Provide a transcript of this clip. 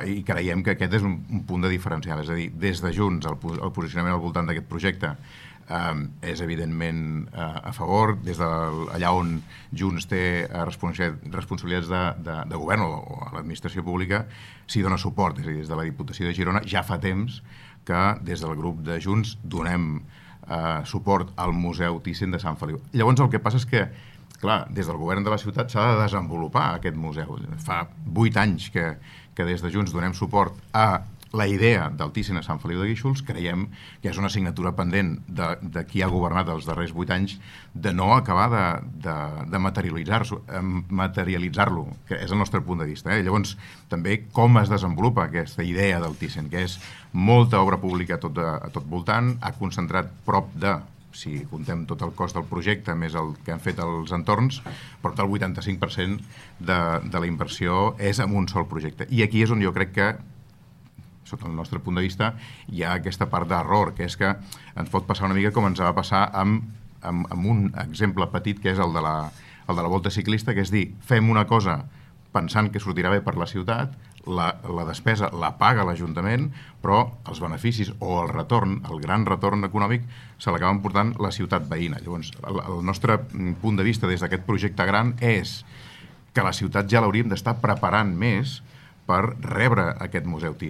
i creiem que aquest és un punt de diferencial. És a dir, des de Junts, el posicionament al voltant d'aquest projecte és evidentment a favor. Des d'allà on Junts té responsabilitats de govern o a l'administració pública, s'hi dona suport. És a dir, des de la Diputació de Girona ja fa temps que des del grup de Junts donem suport al Museu Thyssen de Sant Feliu. Llavors el que passa és que, clar, des del govern de la ciutat s'ha de desenvolupar aquest museu. Fa 8 anys que des de Junts donem suport a la idea del Thyssen a Sant Feliu de Guíxols. Creiem que és una assignatura pendent de qui ha governat els darrers 8 anys de no acabar de materialitzar-lo, que és el nostre punt de vista. Llavors, també com es desenvolupa aquesta idea del Thyssen, que és molta obra pública a tot voltant, ha concentrat prop de, si contem tot el cost del projecte més el que han fet els entorns, prop del 85% de la inversió és en un sol projecte. I aquí és on jo crec que, sota el nostre punt de vista, hi ha aquesta part d'error, que és que ens pot passar una mica com ens va passar amb un exemple petit, que és el de la volta ciclista, que és dir, fem una cosa pensant que sortirà bé per la ciutat, la despesa la paga l'Ajuntament, però els beneficis o el retorn, el gran retorn econòmic, se l'acaben portant la ciutat veïna. Llavors, el nostre punt de vista des d'aquest projecte gran és que la ciutat ja l'hauríem d'estar preparant més per rebre aquest Museu Thyssen.